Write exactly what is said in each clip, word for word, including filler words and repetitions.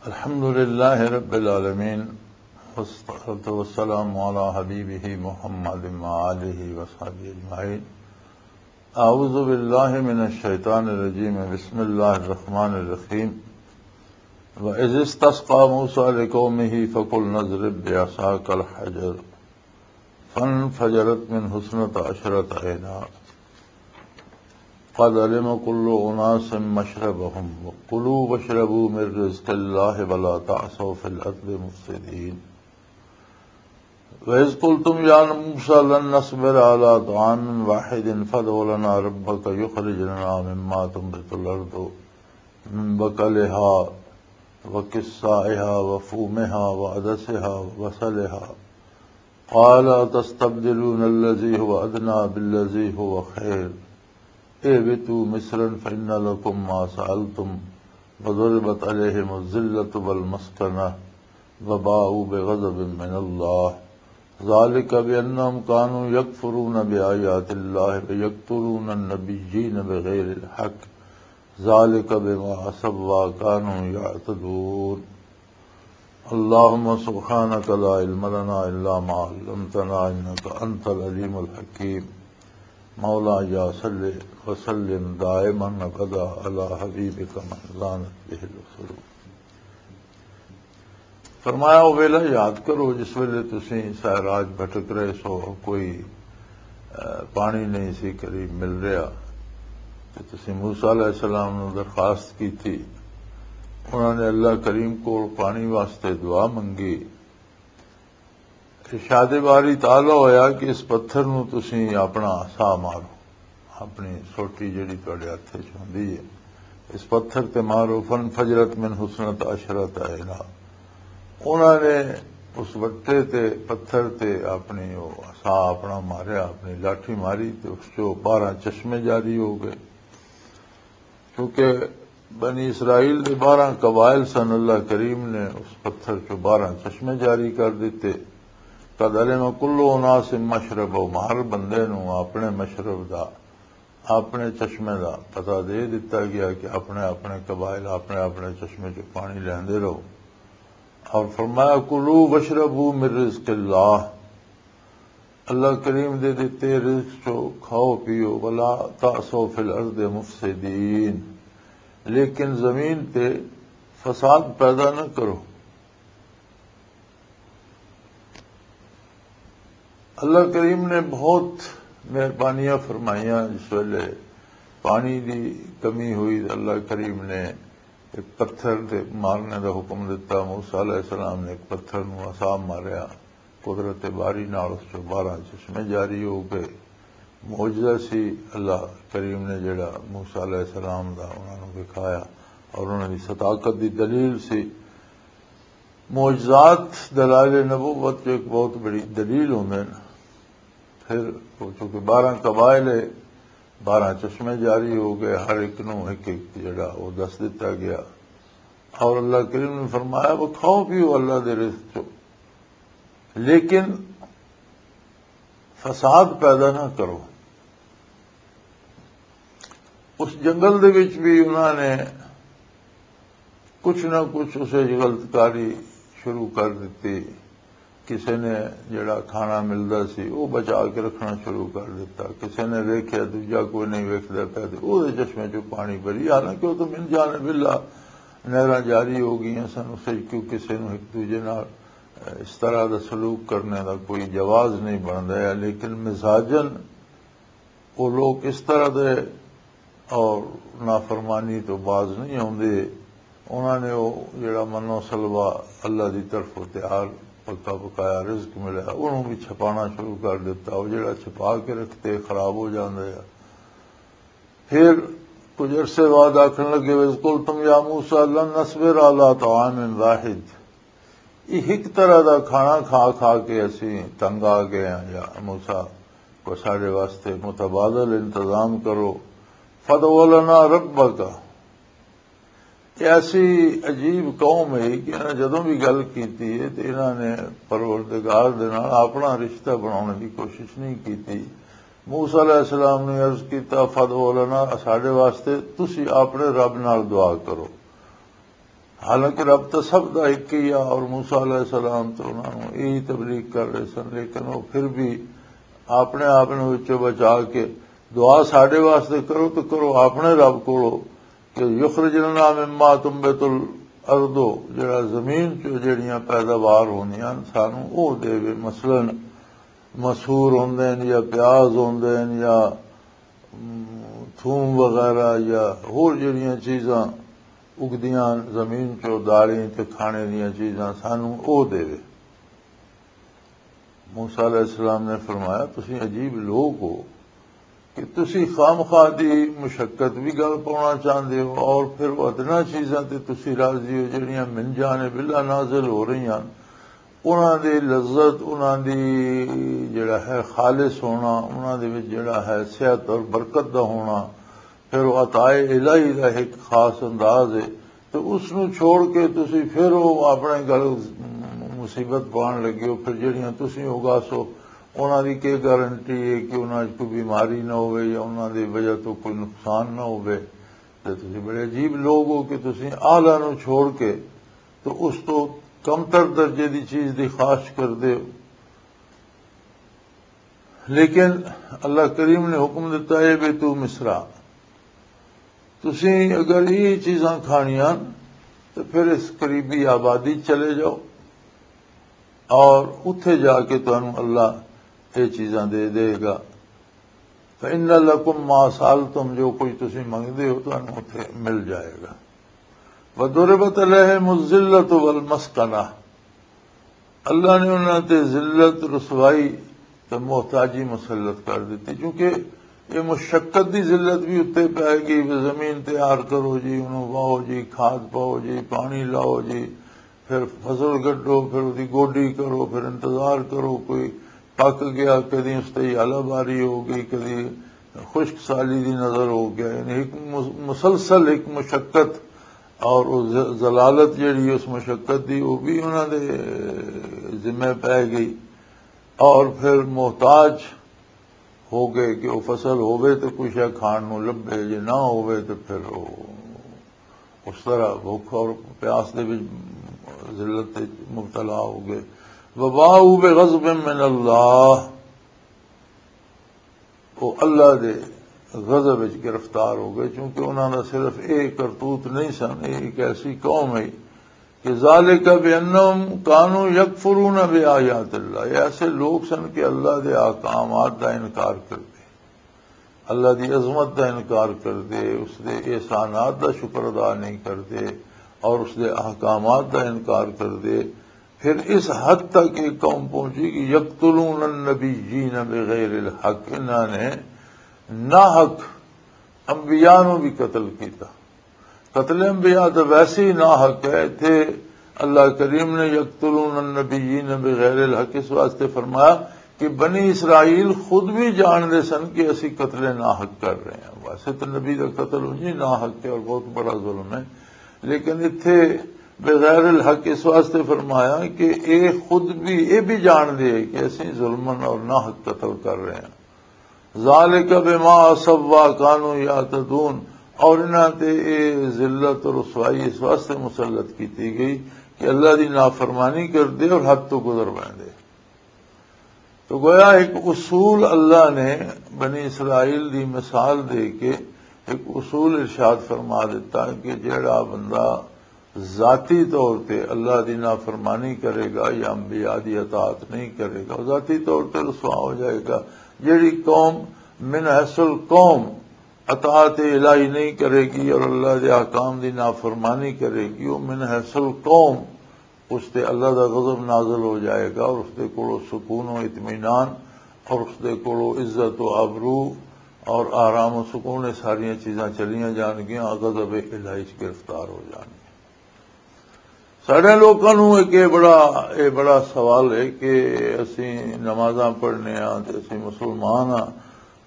الحمد لله رب العالمين، والصلاة والسلام على حبيبه محمد وآله وصحبه أجمعين. أعوذ بالله من الشيطان الرجيم. بسم الله الرحمن الرحيم. وإذ استسقى موسى لقومه فقلنا اضرب بعصاك الحجر فانفجرت منه اثنتا عشرة عينا قد علم كل أناس مشربهم وكلوا واشربوا من رزق الله ولا تعثوا في الأرض مفسدين. وإذ قلتم يا موسى لن نصبر على طعام واحد فادع لنا ربك يخرج لنا مما تنبت الأرض من بقلها وقثائها وفومها وعدسها وبصلها قال أتستبدلون الذي هو أدنى بالذي هو خير اهبطوا مصرا فإن لكم ما سألتم وضربت عليهم الذلة والمسكنة وباءوا بغضب من الله ذلك بأنهم كانوا يكفرون بآيات الله ويقتلون النبيين بغير الحق ذلك بما عصوا وكانوا يعتدون. اللهم سبحانك لا علم لنا إلا ما علمتنا إنك أنت العليم الحكيم. مولاي صل وسلم دائما أبدا على حبيبك من لانت به القلوب. فرمایا، او ویلا یاد کرو جس ویلے تسی ساراج بھٹک رہے سو، کوئی، اے، پانی نہیں سی قریب مل رہا۔ تے تسی موسیٰ علیہ السلام نو درخواست کی تھی۔ انہوں نے اللہ کریم کول پانی واسطے دعا منگی۔ ارشاد باری تعالیٰ ہویا کہ اس پتھر نو تسی اپنا عصا مارو، اپنی سوٹی جڑی تواڈے ہتھ وچ ہوندی ہے، اس پتھر تے مارو۔ فانفجرت منہ اثنتا عشرۃ عینا۔ انہاں نے اس وٹے تے، پتھر تے اپنی او عصا اپنا ماریا، اپنی لاٹھی ماری تے اس چوں بارہ چشمے جاری ہو گئے۔ کیونکہ بنی اسرائیل دے بارہ قبائل سن، اللہ کریم نے اس پتھر چوں بارہ چشمے جاری کر دیتے۔ قد علم کل اناس مشربہم، ہر بندے نوں اپنے مشرب دا، اپنے چشمے دا پتہ دے دتا گیا کہ اپنے اپنے قبائل اپنے اپنے چشمے چوں پانی لیندے رہو۔ اور فرمایا، کلوا واشربوا من رزق اللہ، اللہ کریم دے دتے رزق چو کھاؤ پیو، ولا تعثوا فی الارض مفسدین، لیکن زمین تے فساد پیدا نہ کرو۔ اللہ کریم نے بہت مہربانیاں فرمائیاں۔ جس ویلے پانی دی کمی ہوئی تو اللہ کریم نے ایک پتھر دے مارنے دا حکم دتا۔ موسیٰ علیہ السلام نے ایک پتھر نو عصا ماریا، قدرت باری نال اس چوں بارہ چشمے جاری ہو گئے۔ معجزہ سی اللہ کریم نے جڑا موسیٰ علیہ السلام دا انہاں نوں دکھایا اور انہاں دی صداقت دی دلیل سی۔ معجزات دلائل نبوت جو ایک بہت بڑی دلیل ہوندے نے۔ پھر وہ چونکہ بارہ قبائل ہے، بارہ چشمے جاری ہو گئے، ہر ایک نوں ایک ایک جڑا وہ دس دتا گیا۔ اور اللہ کریم نے فرمایا، وہ کھاؤ پیو اللہ دے رزق چو، لیکن فساد پیدا نہ کرو۔ اس جنگل دے وچ بھی انہاں نے کچھ نہ کچھ اسے غلط کاری شروع کر دتی۔ کسے نے جڑا کھانا ملدا سی، وہ بچا کے رکھنا شروع کر دتا۔ کسے نے ویکھیا، دوجا کوئی نہیں ویکھدا پیا، تے اوہدے چشمے چوں پانی بھری، حالانکہ وہ تو من جانب اللہ نہراں جاری ہو گئیاں سن۔ اسے کیوں کسے نوں ایک دوجے نال اس طرح دا سلوک کرنے دا کوئی جواز نہیں بندا ہے، لیکن مزاجن وہ لوگ اس طرح دے اور نافرمانی تو باز نہیں آوندے۔ انہاں نے وہ جڑا منو سلوا اللہ دی طرفوں تیار پکا پکایا رزق ملیا، انہوں بھی چھپانا شروع کر دیتا۔ وہ جڑا چھپا کے رکھتے، خراب ہو جاندا ہے۔ پھر کچھ عرصے بعد آکھن لگے، وَإِذْ قُلْتُمْ يَا مُوسَىٰ لَن نَّصْبِرَ عَلَىٰ طَعَامٍ وَاحِدٍ، یہ ایک طرح دا کھانا کھا کھا کے اسی تنگ آ گئے ہیں، یا موسیٰ کو ساڈے واسطے متبادل انتظام کرو۔ فَادْعُ لَنَا رَبَّكَ۔ یہ ایسی عجیب قوم ہے کہ انہاں جدوں بھی گل کیتی ہے تے انہاں نے پروردگار دے نال اپنا رشتہ بنانے دی کوشش نہیں کیتی۔ موسیٰ علیہ السلام نے عرض کیتا، فَادْعُ لَنَا، ساڈے واسطے تسی اپنے رب نال دعا کرو۔ حالانکہ رب تو سب دا ایک ہی آ، اور موسیٰ علیہ السلام تو انہاں نوں یہی تبلیغ کر رہے سن، لیکن وہ پھر بھی اپنے آپ نوں وچوں بچا کے دعا ساڈے واسطے کرو تو کرو اپنے رب کولو کہ یخرج لنا مما تنبت الارض، جڑا زمین چوں جڑیاں پیداوار ہوندیاں سانوں او دے۔ مثلاً مسور ہوندے نے یا پیاز ہوندے نے یا، ام، تھوم وغیرہ یا ہور جڑیاں چیزاں اگدیاں زمین چوں، دالیں تے کھانے دیاں چیزاں سانوں او دے۔ موسیٰ علیہ السلام نے فرمایا، "تسی عجیب لوگ ہو کہ تسی خامخواہ دی مشقت بھی گل پاؤنا چاہندے ہو اور پھر وہ ادنا چیزاں تے تسی راضی ہو جڑیاں من جانب اللہ نازل ہو رہی ہیں، انہاں دی لذت، انہاں دی جڑا ہے خالص ہونا، انہاں دے وچ جڑا ہے صحت اور برکت دا ہونا، پھر وہ عطائے الہی دا ایک خاص انداز ہے، تو اس نوں چھوڑ کے تسی پھر وہ اپنے گل مصیبت پان لگے ہو، پھر جڑیاں تسی اگاسو، انہاں دی کی گارنٹی ہے کہ انہاں 'چ کوئی بیماری نہ ہوئے یا انہاں دی وجہ تو کوئی نقصان نہ ہوئے؟ تے تسی بڑے عجیب لوگ ہو کہ تسی اعلیٰ نوں چھوڑ کے تو اس تو کمتر درجے دی چیز دی خواہش کردے ہو۔ لیکن اللہ کریم نے حکم دیتا ہے بھی تو مصرا، تسی اگر یہ چیزاں کھانیاں تو پھر اس قریبی آبادی چلے جاؤ اور اتھے جا کے تانوں اللہ یہ چیزاں دے دے گا۔ فَإِنَّ لَكُمْ مَا سَأَلْتُمْ، جو کچھ تسی منگدے ہو تانوں اتھے مل جائے گا۔ وَضُرِبَتْ عَلَيْهِمُ الذِّلَّةُ وَالْمَسْكَنَةُ، اللہ نے انہاں تے ذلت، رسوائی تے محتاجی مسلط کر دتی، کیونکہ یہ مشقت دی ذلت بھی اتنے پی گئی۔ زمین تیار کرو جی، انہوں واہو جی، کھاد پاؤ جی، پانی لاؤ جی، پھر فصل گڈو، پھر اس دی گوڈی کرو، پھر انتظار کرو، کوئی پک گیا، کدی اس تے ہالہ باری ہو گئی، کدی خشک سالی دی نظر ہو گیا۔ یعنی ایک مس-، مسلسل ایک مشقت اور وہ ز-، ذلالت جڑی اس مشقت دی، وہ بھی انہاں دے ذمہ پی گئی۔ اور پھر محتاج ہو گئے کہ وہ فصل ہووے تو کچھ ہے کھان نوں لبھے، جے نہ ہووے تو پھر وہ اس طرح بھوک اور پیاس دے وچ ذلت وچ مبتلا ہو گئے۔ وباؤوا بغضب من اللہ، وہ اللہ دے غضب وچ گرفتار ہو گئے، کیونکہ انہاں دا صرف ایک کرتوت نہیں سن، یہ ایک ایسی قوم ہے کہ ذالک بانہم کانوا یکفرون بآیات اللہ، یہ ایسے لوگ سن کہ اللہ دے احکامات دا انکار کردے، اللہ دی عظمت دا انکار کردے، اس دے احسانات دا شکر ادا نہیں کردے اور اس دے احکامات دا انکار کردے۔ پھر اس حد تک یہ قوم پہنچی کہ یقتلون النبیین بغیر الحق، انہاں نے ناحق انبیاء نوں بھی قتل کیتا۔ قتل انبیاء تو ویسے ہی ناحق ہے۔ اتھے اللہ کریم نے یقتلون النبیین بغیر الحق اس واسطے فرمایا کہ بنی اسرائیل خود بھی جان دے سن کہ اسی قتل ناحق کر رہے ہیں۔ ویسے تو نبی کا قتل انجی ناحق ہے اور بہت بڑا ظلم ہے، لیکن اتھے بغیر الحق اس واسطے فرمایا کہ اے خود بھی، اے بھی جان دے کہ اسی ظلمن اور ناحق قتل کر رہے ہیں۔ ذالک بما عصوا وکانوا یعتدون، اور انہاں تے اے ذلت اور رسوائی اس واسطے مسلط کیتی گئی کہ اللہ دی نافرمانی کردے اور حد تو گزر ویندے۔ تو گویا ایک اصول اللہ نے بنی اسرائیل دی مثال دے کے ایک اصول ارشاد فرما دیتا کہ جیڑا بندہ ذاتی طور تے اللہ دی نافرمانی کرے گا یا انبیاء دی اطاعت نہیں کرے گا، وہ ذاتی طور تے رسوا ہو جائے گا۔ جیڑی قوم من حیث القوم اطاعت الہی نہیں کرے گی اور اللہ دے احکام دی نافرمانی کرے گی، وہ من حیث القوم اس تے اللہ دا غضب نازل ہو جائے گا اور اس دے کولو سکون و اطمینان اور اس دے کولو عزت و آبرو اور آرام و سکون، یہ ساریاں چیزاں چلیاں جان گیاں، غضب الہی چ گرفتار ہو جان گیاں۔ ساڈے لوکاں نوں ایک یہ بڑا، یہ بڑا سوال ہے کہ اسی نمازاں پڑھنے ہاں تے اسی مسلمان ہاں،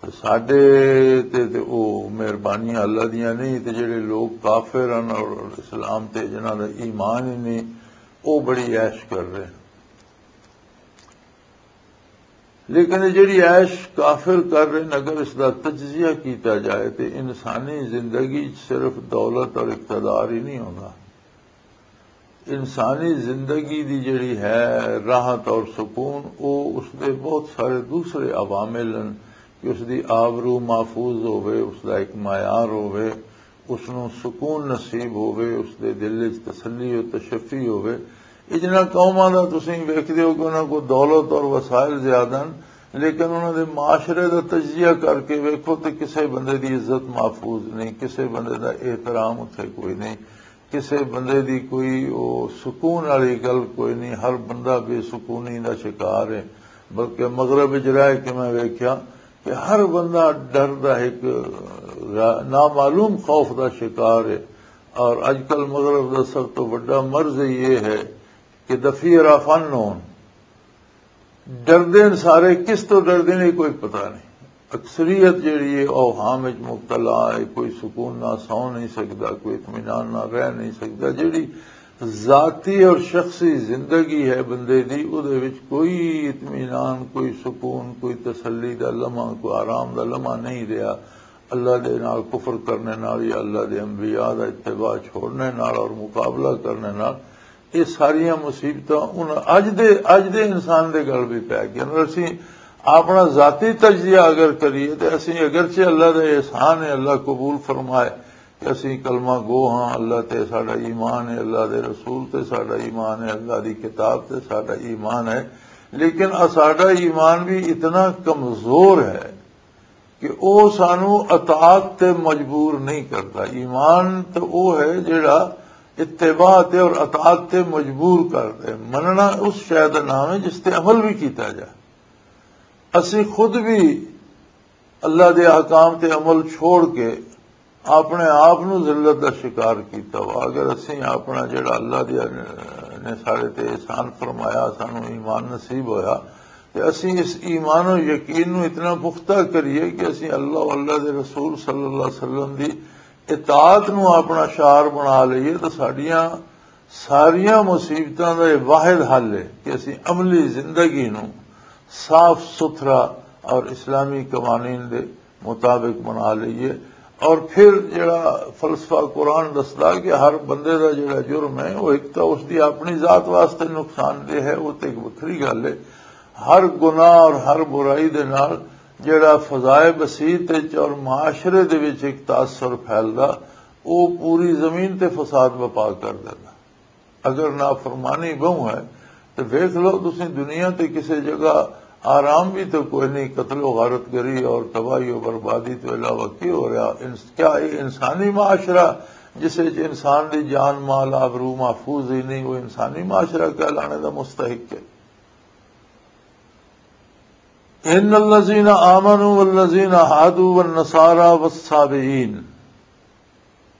تے ساڈے تے، تے او مہربانیاں اللہ دیاں نہیں، تے جڑے لوگ کافر ہیں اور اسلام تے جنہاں دا ایمان ہی نہیں، او بڑی عیش کر رہے ہیں۔ لیکن یہ جڑی عیش کافر کر رہے ہیں، اگر اس دا تجزیہ کیتا جائے تے انسانی زندگی صرف دولت اور اقتدار ہی نہیں ہونا۔ انسانی زندگی دی جڑی ہے راحت اور سکون، او اس دے بہت سارے دوسرے عوامل ہیں کہ اس دی آبرو محفوظ ہووے، اس دا ایک معیار ہووے، اس نوں سکون نصیب ہووے، اس دے دل وچ تسلی و تشفی ہووے۔ اجنا قوماں دا تسیں ویکھدے ہو کہ انہاں کو دولت اور وسائل زیادہ ہیں، لیکن انہاں دے معاشرے دا تجزیہ کر کے ویکھو تے کسے بندے دی عزت محفوظ نہیں، کسے بندے دا احترام اتھے کوئی نہیں، کسے بندے دی کوئی او سکون والی گل کوئی نہیں۔ ہر بندہ بے سکونی دا شکار ہے۔ بلکہ مغرب وچ رہ کے میں ویکھیا کہ ہر بندہ ڈر دا ایک را- نامعلوم خوف دا شکار ہے۔ اور اج کل مغرب دا سب تو بڑا مرض یہ ہے کہ دفیر فن ہون، ڈردے نے سارے، کس تو ڈردے نے کوئی پتہ نہیں۔ اکثریت جیڑی ہے اوہام وچ مبتلا ہے، کوئی سکون نہ سو نہیں سکدا، کوئی اطمینان نہ رہ نہیں سکدا۔ جیڑی ذاتی اور شخصی زندگی ہے بندے دی، او دے وچ کوئی اطمینان، کوئی سکون، کوئی تسلی دا لمحہ، کوئی آرام دا لمحہ نہیں رہیا۔ اللہ دے نال کفر کرنے نال یا اللہ دے انبیاء دا اتباع چھوڑنے نال اور مقابلہ کرنے نال، یہ ساریاں مصیبتاں ان اج دے اج دے انسان دے گل بھی پی گئیاں۔ اور اسی اپنا ذاتی تجزیہ اگر کریے تو اسی اگرچہ اللہ دا احسان ہے، اللہ قبول فرمائے کہ اسی کلمہ گو ہاں، اللہ تے ساڈا ایمان ہے، اللہ دے رسول تے ساڈا ایمان ہے، اللہ دی کتاب تے ساڈا ایمان ہے، لیکن آ ساڈا ایمان بھی اتنا کمزور ہے کہ او سانو اطاعت تے مجبور نہیں کرتا۔ ایمان تے او ہے جڑا اتباع تے اور اطاعت تے مجبور کر دے۔ مننا اس شے دا نام ہے جس تے عمل بھی کیتا جائے۔ اسی خود بھی اللہ دے احکام تے عمل چھوڑ کے اپنے آپ نو ذلت دا شکار کیتا وا۔ اگر اسی اپنا جڑا اللہ دے نے سارے تے احسان فرمایا، سانو ایمان نصیب ہویا، تے اسی اس ایمان و یقین نو اتنا پختہ کریے کہ اسی اللہ و اللہ دے رسول صلی اللہ علیہ وسلم دی اطاعت نو اپنا شعار بنا لئیے، تو ساڈیاں ساریاں مصیبتاں دا یہ واحد حل ہے کہ اسی عملی زندگی نو صاف ستھرا اور اسلامی قوانین دے مطابق بنا لئیے۔ اور پھر جڑا فلسفہ قرآن دسدا کہ ہر بندے دا جڑا جرم ہے، وہ ایک تو اس دی اپنی ذات واسطے نقصان دہ ہے، وہ تے ایک وکھری گل ہے۔ ہر گناہ اور ہر برائی دے نال جڑا فضائے بسیط وچ اور معاشرے دے وچ ایک تاثر پھیلدا، وہ پوری زمین تے فساد بپا کر دیندا۔ اگر نافرمانی بہوں ہے تو ویکھ لو، تسی دنیا تے کسے جگہ آرام بھی تو کوئی نہیں۔ قتل و غارت گری اور تباہی و بربادی تو علاوہ کی ہو رہا؟ انس- کیا یہ انسانی معاشرہ جس وچ انسان دی جان مال آبرو محفوظ ہی نہیں، وہ انسانی معاشرہ کہلانے دا مستحق ہے؟ ان الذین آمنوا والذین هادوا والنصارى والصابئین،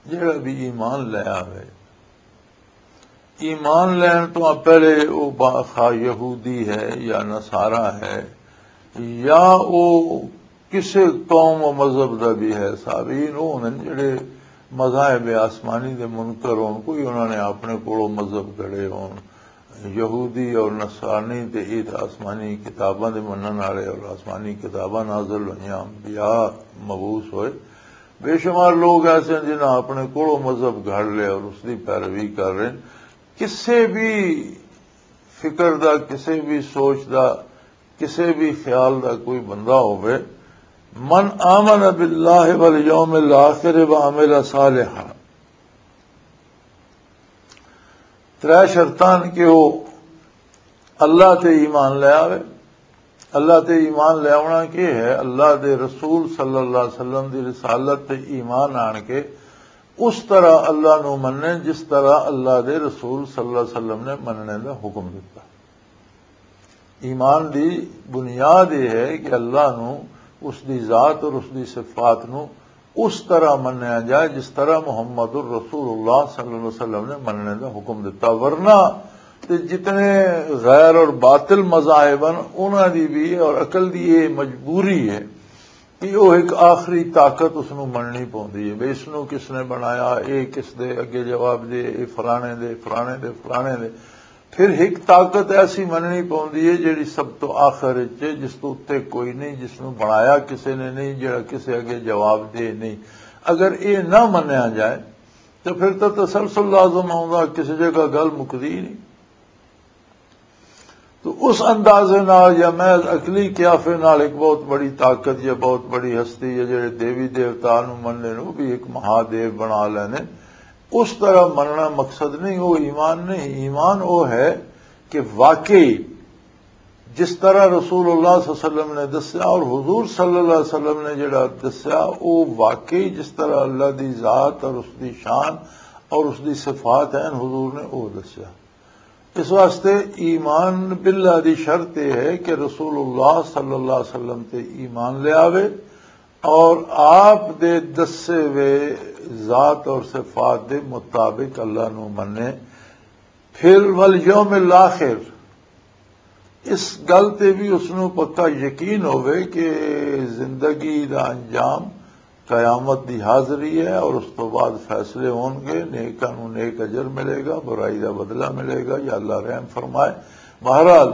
جڑا بھی ایمان لے آوے، ایمان لین تو پہلے وہ با- خواہ یہودی ہے یا نصارہ ہے یا وہ کسے قوم و مذہب دا بھی ہے، صابئین وہ ہوندے نے جڑے مذاہب آسمانی دے منکر ہون، کوئی انہاں نے اپنے کولوں مذہب گھڑے ہون۔ یہودی اور نصرانی تے ایت آسمانی کتاباں دے منن والے اور آسمانی کتاباں نازل ہوئیاں، انبیاء مبعوث ہوئے۔ بے شمار لوگ ایسے ہیں جنہاں اپنے کولوں مذہب گھڑ لے اور اس دی پیروی کر رہے ہیں۔ کسے بھی فکر دا، کسے بھی سوچ دا، کسے بھی خیال دا کوئی بندہ ہوئے، من آمن باللہ والیوم الآخر وعمل صالحا، ترے شرطان کہ وہ اللہ تے ایمان لے آوے۔ اللہ تے ایمان لے آونا کی ہے؟ اللہ دے رسول صلی اللہ علیہ وسلم دی رسالت تے ایمان آن کے اس طرح اللہ نو مننے جس طرح اللہ دے رسول صلی اللہ علیہ وسلم نے مننے دا حکم دیتا۔ ایمان دی بنیاد یہ ہے کہ اللہ نو، اس دی ذات اور اس دی صفات نو اس طرح منیا جائے جس طرح محمد الرسول اللہ صلی اللہ علیہ وسلم نے مننے دا حکم دیتا۔ ورنہ تے جتنے غیر اور باطل مذاہب ہیں، انہاں دی بھی اور عقل دی یہ مجبوری ہے کہ وہ ایک آخری طاقت اس نو مننی پوندی ہے، بھئی اس نو کس نے بنایا، اے کس دے اگے جواب دے، اے فلانے دے، فلانے دے، فلانے دے۔ پھر ایک طاقت ایسی مننی پوندی ہے جڑی سب تو آخر وچ ہے، جس تو اُتے کوئی نہیں، جس نو بنایا کسے نے نہیں، جڑا کسے اگے جواب دے نہیں۔ اگر اے نہ منیا جائے تو پھر تو تسلسل لازم آؤں گا، کسی جگہ گل مکدی نہیں۔ تو اس اندازے نال یا محض عقلی قیافے نال ایک بہت بڑی طاقت یا بہت بڑی ہستی یا جڑے دیوی دیوتا نو مننے نو بھی ایک مہادیو بنا لینے، اس طرح مننا مقصد نہیں، وہ ایمان نہیں۔ ایمان وہ ہے کہ واقعی جس طرح رسول اللہ صلی اللہ علیہ وسلم نے دسیا اور حضور صلی اللہ علیہ وسلم نے جڑا دسیا، وہ واقعی جس طرح اللہ دی ذات اور اس دی شان اور اس دی صفات ہیں، حضور نے وہ دسیا۔ اس واسطے ایمان باللہ دی شرط یہ ہے کہ رسول اللہ صلی اللہ علیہ وسلم تے ایمان لے آوے اور آپ دے دسے ہوئے ذات اور صفات دے مطابق اللہ نو منے۔ پھر والیوم الاخر، اس گل تے بھی اس نو پکا یقین ہوئے کہ زندگی دا انجام قیامت دی حاضری ہے اور اس تو بعد فیصلے ہون گے، نیکاں نو نیک اجر ملے گا، برائی دا بدلہ ملے گا، یا اللہ رحم فرمائے۔ بہرحال،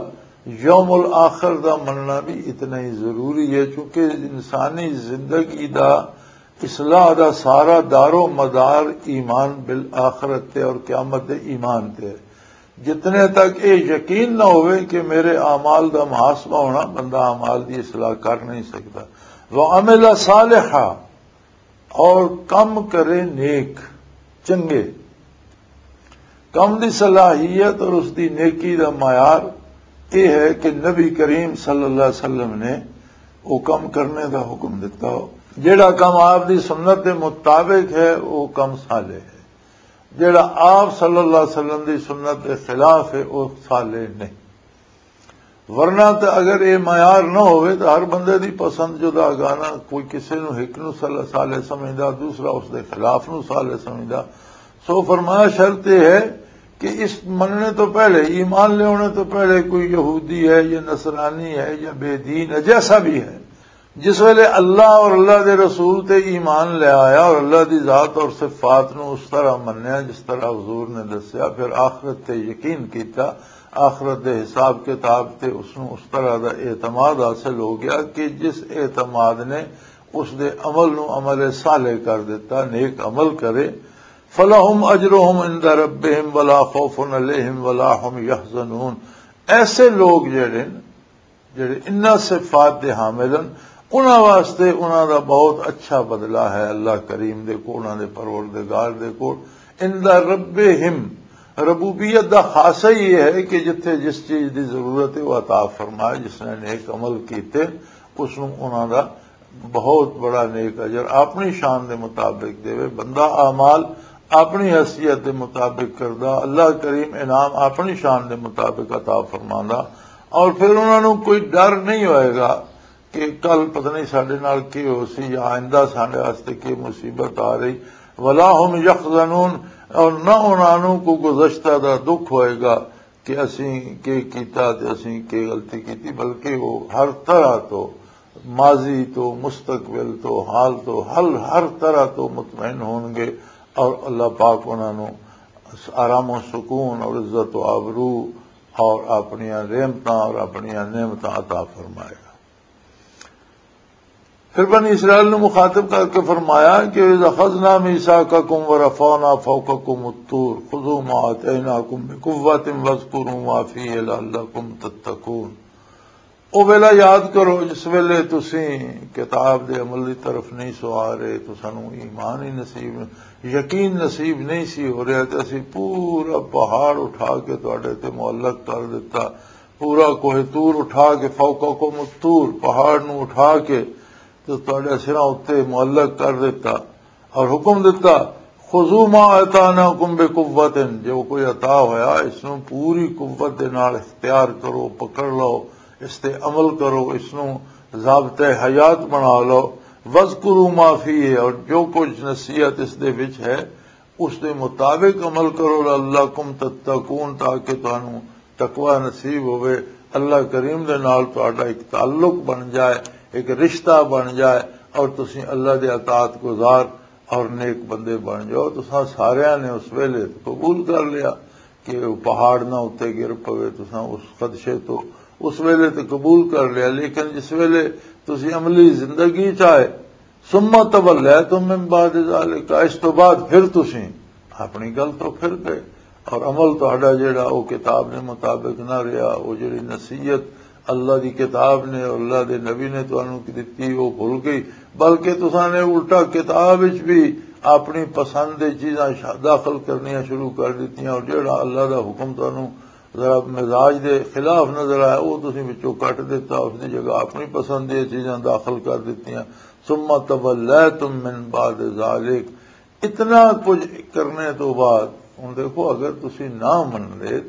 یوم الآخر دا مننا بھی اتنا ہی ضروری ہے، چونکہ انسانی زندگی دا اصلاح دا سارا دار و مدار ایمان بالآخرت تے اور قیامت دے ایمان تے ہے۔ جتنے تک یہ یقین نہ ہوئے کہ میرے اعمال دا محاسبہ ہونا، بندہ اعمال دی اصلاح کر نہیں سکتا۔ وعمل صالحا، اور کم کرے نیک، چنگے۔ کم دی صلاحیت اور اس دی نیکی دا معیار یہ ہے کہ نبی کریم صلی اللہ علیہ وسلم نے وہ کم کرنے دا حکم دیتا ہو۔ جڑا کم آپ دی سنت دے مطابق ہے، وہ کم صالح ہے۔ جڑا آپ صلی اللہ علیہ وسلم دی سنت دے خلاف ہے، وہ صالح نہیں۔ ورنہ تے اگر یہ معیار نہ ہوئے تو ہر بندے دی پسند جدا گانا، کوئی کسے نو ہک نو صالح، صالح سمجھدا، دوسرا اس دے خلاف نو صالح سمجھدا۔ سو فرمایا، شرط یہ ہے کہ اس مننے تو پہلے، ایمان لینے تو پہلے کوئی یہودی ہے یا نصرانی ہے یا بے دین ہے، جیسا بھی ہے، جس ویلے اللہ اور اللہ دے رسول تے ایمان لے آیا اور اللہ دی ذات اور صفات نو اس طرح منیا جس طرح حضور نے دسیا، پھر آخرت تے یقین کیتا، آخرت دے حساب کتاب تے اس نو اس طرح دا اعتماد حاصل ہو گیا کہ جس اعتماد نے اس دے عمل نو عمل صالح کر دیتا، نیک عمل کرے۔ فلہم اجرہم عند ربہم ولا خوف علیہم ولا ہم یحزنون۔ ایسے لوگ جڑے جڑے انہاں صفات دے حامل ہن، انہاں واسطے انہاں دا بہت اچھا بدلہ ہے اللہ کریم دے کول، انہاں دے پروردگار دے کول۔ ان دا ربہم، ربوبیت دا خاصہ ہی یہ ہے کہ جتھے جس چیز دی ضرورت ہے، وہ عطا فرمائے۔ جس نے نیک عمل کیتے، اس نوں انہاں دا بہت بڑا نیک اجر اپنی شان دے مطابق دے۔ بندہ اعمال اپنی حیثیت دے مطابق کردا، اللہ کریم انعام اپنی شان دے مطابق عطا فرماندا، اور پھر انہاں نوں کوئی ڈر نہیں ہوئے گا کہ کل پتہ نہیں ساڈے نال کی ہو سی یا آئندہ ساڈے واسطے کی مصیبت آ رہی۔ ولا ہم یحزنون، اور نہ انہاں نوں کوئی گزشتہ دا دکھ ہوئے گا کہ اسیں کی کیتا تے اسیں کی غلطی کیتی، بلکہ وہ ہر طرح تو، ماضی تو، مستقبل تو، حال تو، ہر ہر طرح تو مطمئن ہون گے، اور اللہ پاک انہاں نوں آرام و سکون اور عزت و آبرو اور اپنیاں رحمتاں اور اپنیاں نعمتاں عطا فرمائے گا۔ پھر بنی اسرائیل نو مخاطب کر کے فرمایا کہ "اذ اخذنا میثاقکم ورفعنا فوقکم الطور خذوا ما آتیناکم بقوۃ واذکروا ما فیہ لعلکم تتقون۔" او ویلا یاد کرو جس ویلے تسی کتاب دے عمل دی طرف نہیں سو آ رہے، تو سانو ایمان ہی نصیب، یقین نصیب نہیں سی ہو رہا، تے اسی پورا پہاڑ اٹھا کے تواڈے تے معلق کر دیتا، پورا کوہ طور اٹھا کے، فوقکم الطور، پہاڑ نو اٹھا کے تے تواڈے سراں اُتے معلق کر دتا اور حکم دتا، "خذوا ما آتیناکم بقوۃ"، جو کوئی عطا ہویا، اس نو پوری قوت دے نال اختیار کرو، پکڑ لو، اس تے عمل کرو، اس نو ضابطۂ حیات بنا لو۔ "واذکروا ما فیہ"، اور جو کچھ نصیحت اس دے وچ ہے، اس دے مطابق عمل کرو، "لعلکم تتقون"، تاکہ تانوں تقوی نصیب ہوئے، اللہ کریم دے نال تہاڈا ایک تعلق بن جائے، ایک رشتہ بن جائے، اور تسی اللہ دے اطاعت گزار اور نیک بندے بن جاؤ۔ تساں ساریاں نے اس ویلے قبول کر لیا کہ وہ پہاڑ نہ اُتے گر پوے، تساں اس خدشے تو اس ویلے تے قبول کر لیا، لیکن جس ویلے تسی عملی زندگی چ آئے، "ثم تولیتم من بعد ذلک"، اس تو بعد پھر تسی اپنی گل تو پھر گئے، اور عمل تہاڈا جڑا، وہ کتاب نے مطابق نہ رہیا۔ وہ جڑی نصیحت اللہ دی کتاب نے اور اللہ دے نبی نے تانوں دتی، وہ بھول گئی، بلکہ تساں نے الٹا کتاب وچ بھی اپنی پسند دی چیزاں شا-، داخل کرنیاں شروع کر دتیاں، اور جڑا اللہ دا حکم تانوں ذرا مزاج دے خلاف نظر آیا، وہ تسی وچوں کٹ دیتا، اس دی جگہ اپنی پسند دی چیزاں داخل کر دتیاں۔ ثم تولیتم من بعد ذلک، اتنا کچھ کرنے تو بعد، ہن دیکھو، اگر تسی نہ من لے،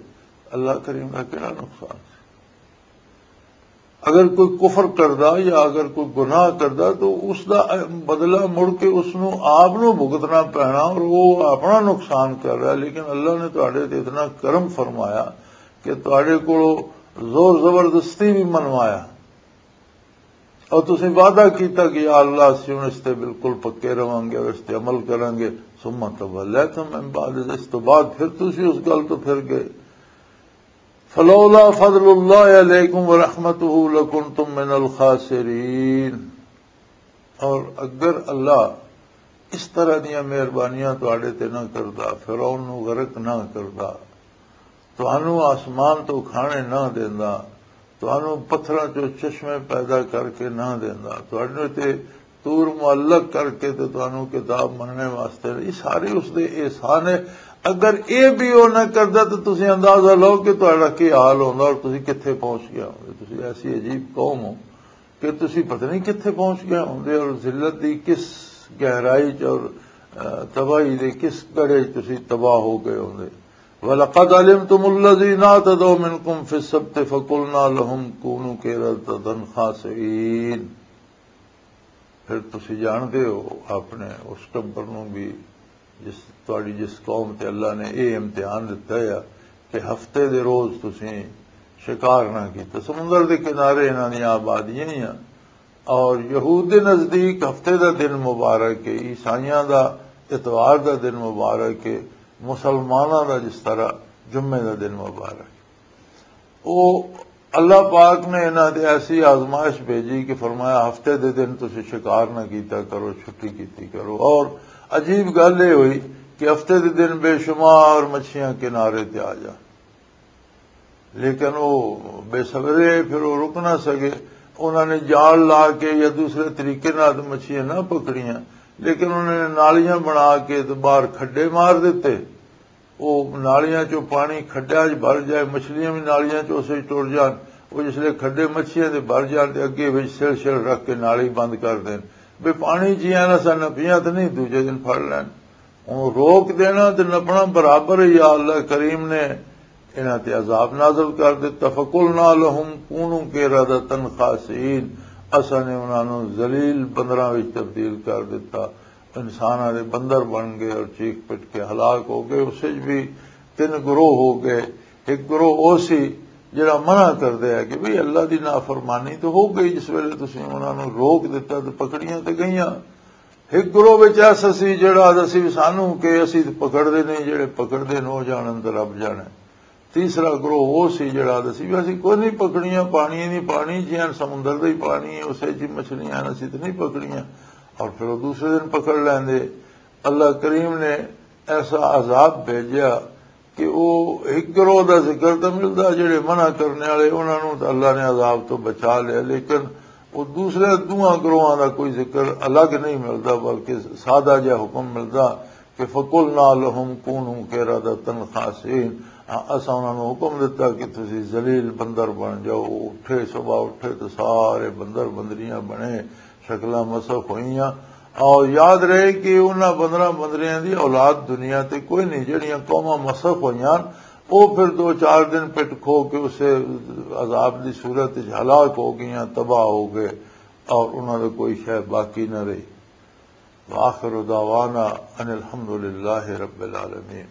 اللہ کریم دا کہڑا نقصان سی؟ اگر کوئی کفر کردا یا اگر کوئی گناہ کردا، تو اس دا بدلہ مڑ کے اس نو آپ نو بھگتنا پینا، اور وہ اپنا نقصان کر رہا۔ لیکن اللہ نے تہاڈے تے اتنا کرم فرمایا کہ تہاڈے کولوں زور زبردستی بھی منوایا، اور تسی وعدہ کیتا کہ یا اللہ، اسی ہن اس تے بالکل پکے رہواں گے اور اس تے عمل کراں گے۔ ثم تولیتم من بعد، اس تو بعد پھر تسی اس گل تو پھر گئے۔ فلولا فضل اللہ علیکم ورحمتہ لکنتم من الخاسرین۔ اور اگر اللہ اس طرح دیاں مہربانیاں تواڈے تے نہ کردا، فرعون نو غرق نہ کردا، تانوں آسمان تو کھانے نہ دیندا، تانوں پتھراں چوں چشمے پیدا کر کے نہ دیندا، تواڈے تے طور معلق کر کے تے تانوں کتاب مننے واسطے، یہ سارے اس دے احسان ہے۔ اگر یہ بھی وہ نہ کردا تو تسی اندازہ لو کہ تہاڈا کی حال ہوندا اور تسی کتھے پہنچ گیا ہوندے۔ تسی ایسی عجیب قوم ہو کہ تسی پتہ نہیں کتھے پہنچ گئے ہوندے اور ذلت دی کس گہرائی چ اور، آ، تباہی دے کس گڑھے چ تسی تباہ ہو گئے ہوندے۔ وَلَقَدْ عَلِمْتُمُ الَّذِينَ اعْتَدَوْا مِنْكُمْ فِي السَّبْتِ فَقُلْنَا لَهُمْ كُونُوا قِرَدَةً خَاسِئِينَ۔ پھر تسی جانتے ہو اپنے اس ٹبر نو بھی، جس، تہاڈی جس قوم تے اللہ نے اے امتحان دتا ہے کہ ہفتے دے روز تسی شکار نہ کیتا۔ سمندر دے کنارے انہاں دیاں آبادیاں ہی آ، اور یہود دے نزدیک ہفتے دا دن مبارک ہے، عیسائیاں دا اتوار دا دن مبارک ہے، مسلماناں دا جس طرح جمعے دا دن مبارک ہے۔ او اللہ پاک نے انہاں تے ایسی آزمائش بھیجی کہ فرمایا، ہفتے دے دن تسی شکار نہ کیتا کرو، چھٹی کیتی کرو۔ اور عجیب گل یہ ہوئی کہ ہفتے دے دن بے شمار مچھیاں کنارے تے آ جان، لیکن وہ بے صبرے، پھر وہ رک نہ سکے۔ انہاں نے جال لا کے یا دوسرے طریقے نال مچھیاں نہ پکڑیاں، لیکن انہاں نے نالیاں بنا کے تے باہر کھڈے مار دیتے۔ وہ نالیاں چوں پانی کھڈیاں چ بھر جائے، مچھلیاں بھی نالیاں چ اسے ٹر جان۔ وہ جس لے کھڈے مچھیاں دے بھر جان تے اگے وچ سل سل رکھ کے نالی بند کر دین، بے پانی جی آنا سا نہ پیاں تے نہیں، دوجے دن پھڑ لین۔ ہن روک دینا تے نپنا برابر ہے۔ یا اللہ کریم نے انہاں تے عذاب نازل کر دتا۔ فَقُلْنَا لَهُمْ كُونُوا قِرَدَةً خَاسِئِينَ، اساں نے انہاں نوں ذلیل بندراں وچ تبدیل کر دتا۔ انساناں دے بندر بن گئے اور چیخ پٹ کے ہلاک ہو گئے۔ اس وچ بھی تین گروہ ہو گئے۔ ایک گروہ او سی جڑا منع کردے ہے کہ بھئی اللہ دی نافرمانی تو ہو گئی، جس ویلے تسی انہاں نوں روک دتا تو پکڑیاں تے گئیاں۔ ایک گروہ وچ ایسا سی جڑا آہدا سی بھی سانوں کہ اسی تے پکڑ دے نہیں، جڑے پکڑ دے نو جانن تے رب جانے۔ تیسرا گروہ وہ سی جڑا آہدا سی بھی اسی کوئی نہیں پکڑیاں، پانی نہیں، پانی جیان سمندر دا ہی پانی ہے، اسے جی مچھلیاں ہیں، اسی تے نہیں پکڑیاں۔ اور پھر وہ دوسرے دن پکڑ لیندے۔ اللہ کریم نے ایسا عذاب بھیجیا کہ وہ ایک گروہ دا ذکر تو ملدا، جڑے منع کرنے والے، انہاں نوں تے اللہ نے عذاب تو بچا لیا، لیکن وہ دوسرے دوواں گروہاں دا کوئی ذکر الگ نہیں ملدا، بلکہ سادہ جہا حکم ملدا کہ فَقُلْنَا لَهُمْ كُونُوا قِرَدَةً خَاسِئِينَ۔ ہاں، اساں انہاں نوں حکم دتا کہ تسی ذلیل بندر بن جاؤ۔ وہ اٹھے، صبح اٹھے تو سارے بندر بندریاں بنے، شکلاں مسخ ہوئیاں۔ اور یاد رہے کہ انہاں بندراں بندریاں دی اولاد دنیا تے کوئی نہیں۔ جڑیاں قوماں مسخ ہوئیاں، وہ پھر دو چار دن پٹ کھو کے اسے عذاب دی صورت وچ ہلاک ہو گئیاں، تباہ ہو گئے، اور انہاں دے کوئی شے باقی نہ رہی۔ وآخر دعوانا ان الحمد للہ رب العالمین۔